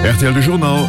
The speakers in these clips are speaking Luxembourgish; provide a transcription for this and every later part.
Rtl De Journal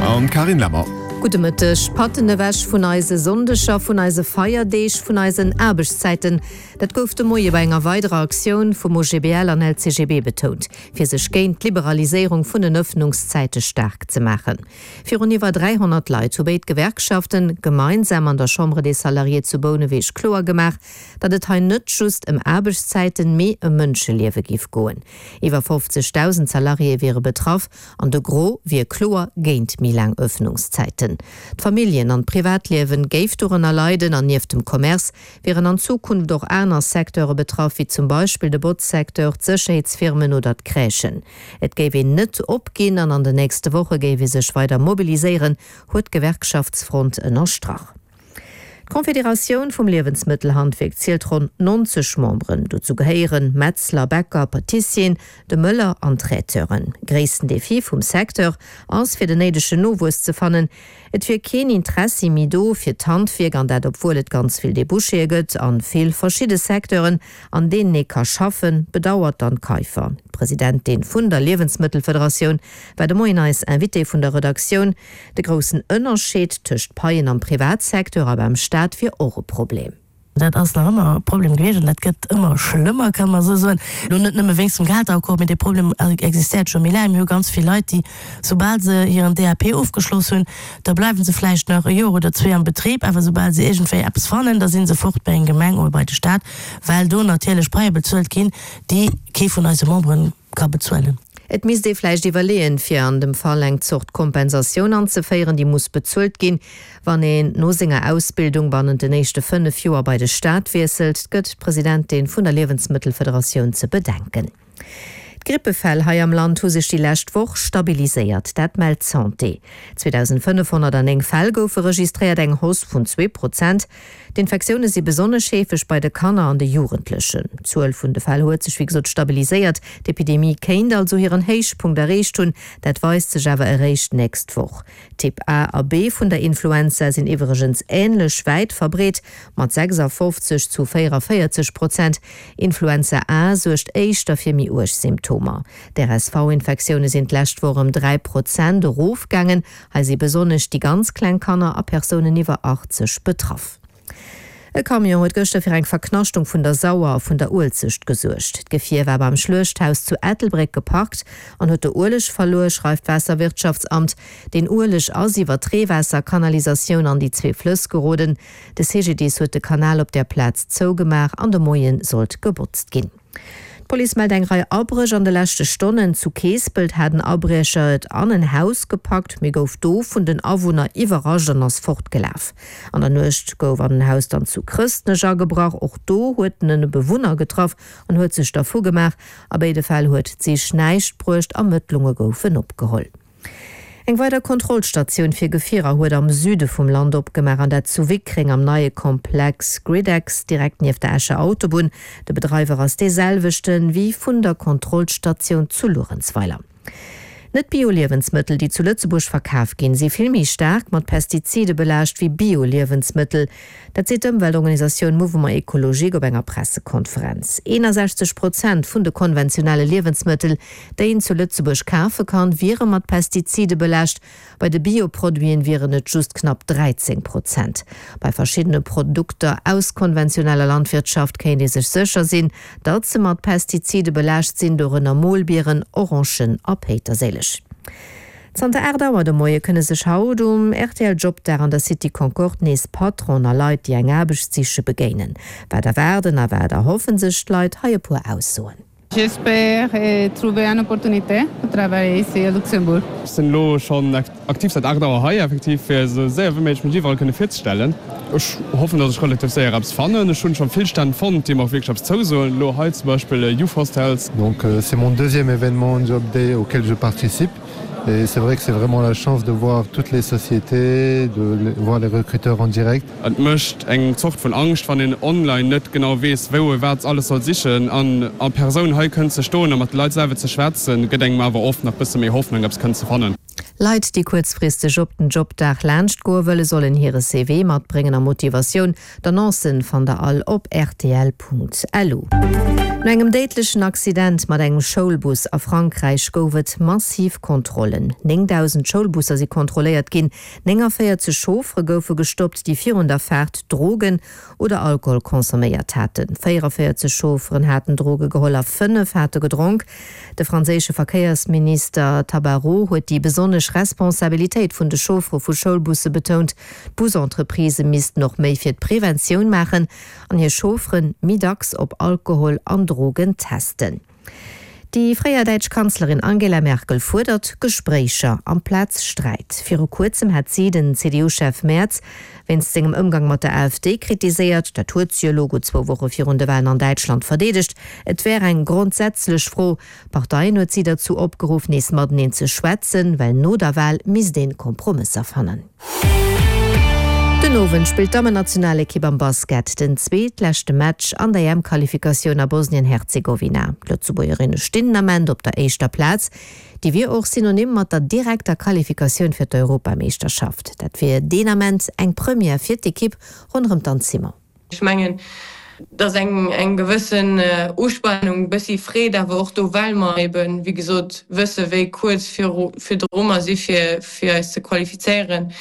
an d'Carine Lemmer. Gudde Mëtteg. Patten ewech vun eise Sonndeger, vun eise Feierdeeg, vun eisen Aarbechtszäiten. Dat gouf de Moie bei enger weiderer Aktioun vum OGBL an LCGB betount, fir sech géint d'Liberaliséierung vun den Ëffnungszäite staark ze maachen. Virun iwwer 300 Leit hu béid Gewerkschaften gemeinsam an der Chambre des Salariés zu Bouneweg kloer gemaach, datt et hei net just ëm Aarbechtszäiten, mee ëm Mënscheliewe giff goen. Iwwer 50.000 Salariéë wiere betraff an de Gros wier kloer géint méi laang Ëffnungszäiten. D'Familljen an d'Privatliewen géif dorënner leiden an nieft dem Commerce wieren an Zukunft och aner Secteure betraff, wéi zum Beispill de Botzsecteur, d'Sécherheetsfirmen oder d'Crèchen. Et géif een net opginn an an den nächste Woche géif ee sech weider mobiliséieren, huet d'Gewerkschaftsfront ënnerstrach. D'Confederatioun vum Liewensmëttelhandwierk zielt ronn 90 Memberen. Dozou gehéieren Metzler, Bäcker, Patissieren, de Mëller an Traiteuren. Gréissten Defi vum Secteur ass fir den néidegen Nowuess ze fannen. Et wier keen Interessi méi do fir d'Handwierk an dat obwuel et ganz vill Debouchéë gëtt an vill verschidde Secteuren an deenen ee ka schaffen, bedauert d'Anne Kaiffer. D'Presidentin vun der Liewensmëttelfederatioun war de Moien eis Invitée vun der Redaktioun. De groussen Ënnerscheed tëscht Paien am Privatsecteur a beim Staat wier och e Problem. Dat ass nach ëmmer e Problem gewiescht an dat gëtt ëmmer schlëmmer, kann mer esou soen. Elo net nëmme wéinst dem Gehalteraccord, mee dee Problem existéiert scho méi laang. Mir hu ganz vill Leit, déi, soubal se hiren DAP ofgeschloss hunn, da bleiwe se vläicht nach e Joer oder zwee am Betrib, awer soubal se iergendwéi eppes fannen, da si se fort bei eng Gemeng oder bei de Staat, well do natierlech Paie bezuelt ginn, déi kee vun eise Memberen ka bezuelen. Et misst ee vläicht iwwerleeën, fir an dem Fall eng Zort Kompensatioun anzeféieren, déi muss bezuelt ginn, wann een no senger Ausbildung bannent den éischte 5 Joer bei de Staat wiesselt, gëtt d'Presidentin vun der Liewensmëttelfederatioun ze bedenken. D'Grippefäll hei am Land hu sech déi lescht Woch stabiliséiert, dat mellt d'Santé. 2.509 Fäll goufe registréiert, eng Hausse vun 2 Prozent. D'Infektioune si besonnesch heefeg bei de Kanner an de Jugendlechen. D'Zuel vun de Fäll huet sech wéi gesot stabiliséiert. D'Epidemie kéint also hiren Héichpunkt erreecht hunn, dat weist sech awer eréischt d'nächst Woch. Typ A a B vun der Influenza sinn iwwregens änlech wäit verbreet, mat 56 zu 44 Prozent. Influenza A suergt éischter fir méi uerg Symptomer. D'RSV-Infektioune sinn d'lescht Woch ëm 3 Prozent erofgaangen. Hei si besonnesch déi ganz kleng Kanner a Persounen iwwer 80 betraff. E Camion huet gëschter fir eng Verknaschtung vun der Sauer a vun der Uelzecht gesuergt. D'Gefier war beim Schluechthaus zu Ettelbréck geparkt an huet do Ueleg verluer, schreift d'Waasserwirtschaftsamt. Deen Ueleg ass iwwer d'Reewaasserkanalisatioun an déi zwee Flëss geroden. De CGDIS huet de Kanal op där Plaz zougemaach an de Moie sollt gebotzt ginn. D'Police mellt eng Rei Abréch an de leschte Stonnen. Zu Keespelt hat en Abriecher et an en Haus gepackt, mee gouf do vun den Awunner iwwerrascht an ass fortgelaf. An der Nuecht gouf an en Haus dann zu Chrëstnech agebrach. Och do huet en e Bewunner getraff an huet sech dervu gemaach. A béide Fäll huet d'Sich näischt bruecht, Ermëttlunge goufen opgeholl. Eng weider Kontrollstatioun fir Gefierer huet am Süde vum Land opgemaach, an dat zu Wickreng am neie Komplex Gridex, direkt nieft der Escher Autobunn. De Bedreiwer ass dee selwechten wéi vun der Kontrollstatioun zu Luerenzweiler. Net-Bio-Liewensmëttel, déi zu Lëtzebuerg verkaf ginn, si vill méi staark mat Pestizide belaascht wéi Bio-Liewensmëttel. Dat seet d'Ëmweltorganisatioun Mouvement Ecologique op enger Pressekonferenz. 61 Prozent vun de konventionelle Liewensmëttel, déi een zu Lëtzebuerg kafe kann, wiere mat Pestizide belaascht. Bei de Bio-Produiten wieren et just knapp 13 Prozent. Bei verschiddene Produkter aus konventioneller Landwirtschaft kéint ee sech sécher sinn, datt se mat Pestizide belaascht sinn, dorënner Molbieren, Orangen a Péiterséileg. Zanter 8 Auer de Moie kënne sech haut um rtl Jobdag an der City Concorde nees Patronen a Leit, déi eng Aarbecht siche begéinen. Wat erwaarden a wat erhoffen sech d'Leit? Hei e puer Aussoen. J'espère trouver une opportunité pour travailler ici à Luxembourg. Ech sinn elo schonn aktiv säit 8 Auer hei, effektiv fir esou séier wéi méiglech mech iwwerall kënne virzestellen. Ech hoffen, datt ech relativ séier eppes fannen. Ech hunn scho vill Stänn fonnt, déi mer och wierklech eppes zousoen. Elo hei zum Beispill Youth Hostels. Donc c'est mon deuxième événement Job Day auquel je participe. Et c'est vrai que c'est vraiment la chance de voir toutes les sociétés, de voir les recruteurs en direct. Et mécht eng Zort vun Angscht, wann een online net genau weess, wou e wat alles soll sichen. An a Persoun hei kënnen ze stoen a mat de Leit selwer ze schwätzen, gëtt engem awer oft nach bësse méi Hoffnung, eppes kënnen ze fannen. Leit, déi kuerzfristeg op den Jobdag laanscht goe wëllen, sollen hire CV matbréngen a Motivatioun. D'Annoncen fannt der all op rtl.lu. No engem déidlechen Accident mat engem Schoulbus a Frankräich gouf et massiv Kontrollen. 9.000 Schoulbusser si kontrolléiert ginn, 49 Chauffere goufe gestoppt, déi virun der Faart Drogen oder Alkohol consomméiert haten. 44 Chaufferen haten Droge geholl a 5 hate gedronk. De franséische Verkéiersminister Tabarot huet déi besonnesch Responsabilitéit vun de Chauffere vu Schoulbusse betount. D'Busentreprisë missten och méi fir d'Preventioun maachen an hir Chauffere méi dacks op Alkohol an Drogen testen. Déi fréier däitsch Kanzlerin Angela Merkel fuerdert Gespréicher amplaz Sträit. Viru kuerzem hat si den CDU-Chef Merz wéinst sengem Ëmgang mat der AfD kritiséiert. Dat huet si elo gutt zwou Woche virun de Walen an Däitschland verdeedegt. Et wär eng grondsätzlech Fro. D'Parteien huet si derzou opgeruff, nees mateneen ze schwätzen, well no der Wal misst een Kompromësser fannen. Den Owend spillt d'Dammennationalekipp am Basket den zweetleschte Match an der EM-Qualifikatioun a Bosnien-Herzegowina. D'Lëtzebuergerinne stinn den Ament op der éischter Plaz. Déi wier och synonym mat der direkter Qualifikatioun fir d'Europameeschterschaft. Dat wier deen Ament eng Première fir d'Ekipp ronderëm d'Anne Simon. Ech mengen, et ass eng gewëssen Uspanung, e bëssi Freed awer och do, well mer eben, wéi gesot, wësse wéi kuerz virdru mer si fir eis ze qualifizéieren.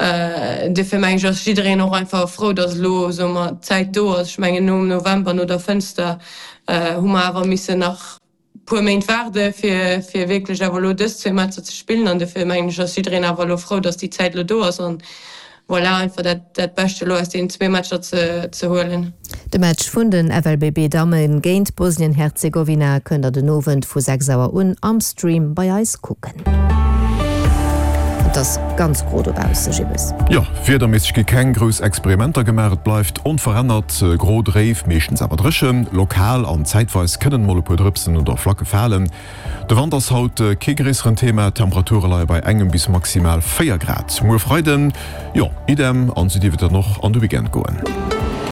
Duerfir mengen ech, ass jiddereen och einfach frou, datt elo, soe mer, d'Zäit do ass. Ech mengen, nom November, no der Fënster, hu mer awer missen nach puer Méint waarde fir fir wierklech awer elo dës zwee Matcher ze spillen an dofir mengen ech ass jiddereen awer elo frou, datt déi Zäit elo do ass an voilà einfach dat dat Bescht elo aus deenen zwee Matcher ze ze huelen. De Match vun den FLBB Damme géint Bosnien-Herzegowina kënnt der den Owend vu 6 Auer un am Stream bei eis kucken. Et ass ganz gro dobausse, Jibbes. Jo, wiederméisseg gi keng grouss Experimenter gemaach, et bleift onverännert gro, dréif, meeschtens awer dréchen. Lokal an zäitweis kënnen mol e puer Drëpsen oder Flacke falen. De Wand ass haut kee gréisseren Thema, d'Temperature leie bei engem bis maximal 4 Grad. Muer Freiden, jo, idem, an sou dierf et dann och an de Weekend goen.